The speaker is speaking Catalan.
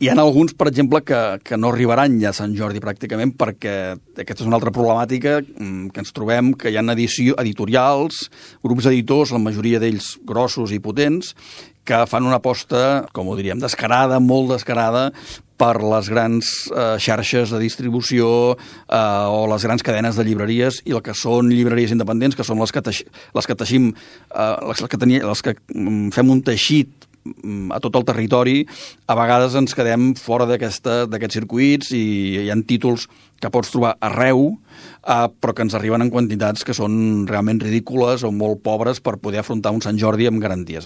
Hi ha alguns, per exemple, que no arribaran ja a Sant Jordi pràcticament, perquè aquesta és una altra problemàtica que ens trobem, que hi ha editorials, grups editors, la majoria d'ells grossos i potents, que fan una aposta, com ho diríem, descarada, molt descarada, per les grans xarxes de distribució o les grans cadenes de llibreries, i el que són llibreries independents, que són les que teixim, les que fem un teixit a tot el territori, a vegades ens quedem fora d'aquests circuits i hi ha títols que pots trobar arreu, però que ens arriben en quantitats que són realment ridícules o molt pobres per poder afrontar un Sant Jordi amb garanties.